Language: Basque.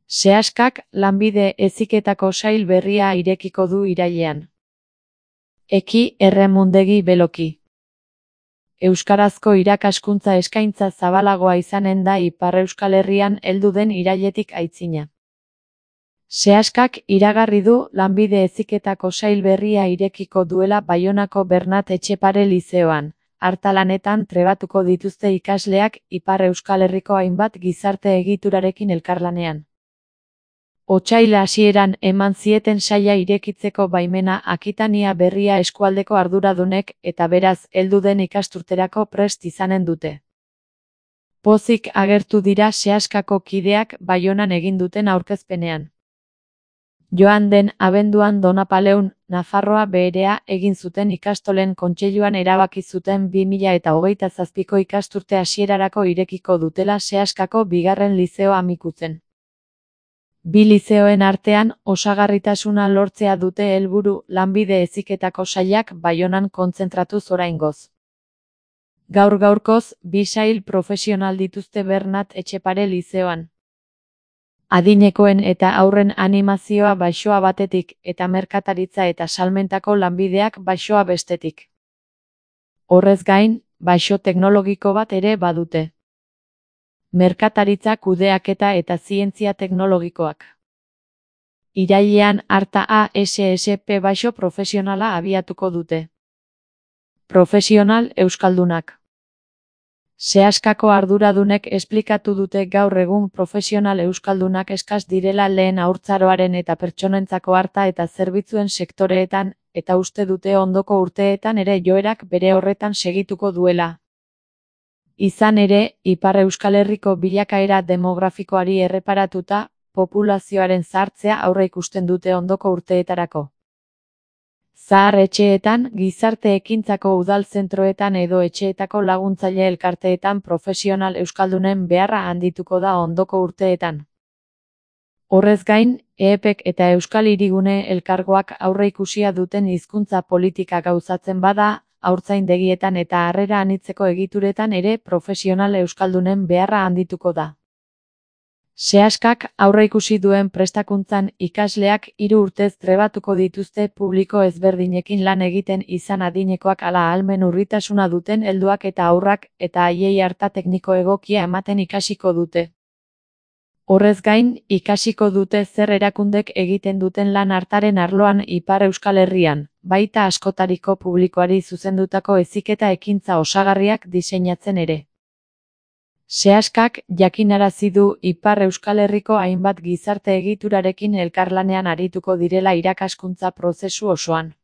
Sehaskak lanbide heziketako sail berria irekiko du irailean. Eki erremundegi beloki. Euskarazko irakaskuntza eskaintza zabalagoa izanen da Ipar Euskal Herrian heldu den irailetik aitzina. Sehaskak iragarri du lanbide heziketako sail berria irekiko duela Baionako Bernat Etxepare lizeoan. Hartalanetan trebatuko dituzte ikasleak Ipar Euskal Herriko hainbat gizarte egiturarekin elkarlanean. Otsaila hasieran eman zieten saila irekitzeko baimena Akitania Berria eskualdeko arduradunek eta beraz heldu den ikasturterako prest izanen dute. Pozik agertu dira Sehaskako kideak Baionan egin duten aurkezpenean. Joan den abenduan Donapaleun, Nafarroa Beherea egin zuten ikastolen kontseiluan erabaki zuten 2027ko ikasturte hasierarako irekiko dutela Sehaskako bigarren lizeo Amikuzen. Bi lizeoen artean osagarritasuna lortzea dute helburu lanbide heziketako sailak Baionan kontzentratuz oraingoz. Gaur-gaurkoz, bi sail profesional dituzte Bernat Etxepare lizeoan. Adinekoen eta haurren animazioa Baixoa batetik eta merkataritza eta salmentako lanbideak Baixoa bestetik. Horrez gain, Baixo teknologiko bat ere badute. Merkataritza kudeaketa eta zientzia teknologikoak. Irailean Arta ASSP Baixo profesionala abiatuko dute. Profesional euskaldunak. Sehaskako arduradunek esplikatu dute gaur egun profesional euskaldunak eskas direla lehen haurtzaroaren eta pertsonentzako arta eta zerbitzuen sektoreetan, eta uste dute ondoko urteetan ere joerak bere horretan segituko duela. Izan ere, Ipar Euskal Herriko bilakaera demografikoari erreparatuta, populazioaren zahartzea aurreikusten dute ondoko urteetarako. Zahar etxeetan, gizarte ekintzako udal zentroetan edo etxeetako laguntzaile elkarteetan profesional euskaldunen beharra handituko da ondoko urteetan. Horrez gain, EEPek eta Euskal Hirigune elkargoak aurreikusia duten hizkuntza politika gauzatzen bada, haurtzaindegietan eta harrera anitzeko egituretan ere profesional euskaldunen beharra handituko da. Sehaskak aurreikusi duen prestakuntzan ikasleak 3 urtez trebatuko dituzte publiko ezberdinekin lan egiten izan adinekoak ala ahalmen urritasuna duten helduak eta haurrak eta haiei arta tekniko egokia ematen ikasiko dute. Horrez gain, ikasiko dute zer erakundek egiten duten lan hartaren arloan Ipar Euskal Herrian, baita askotariko publikoari zuzendutako heziketa ekintza osagarriak diseinatzen ere. Sehaskak jakinarazi du Ipar Euskal Herriko hainbat gizarte egiturarekin elkarlanean arituko direla irakaskuntza prozesu osoan.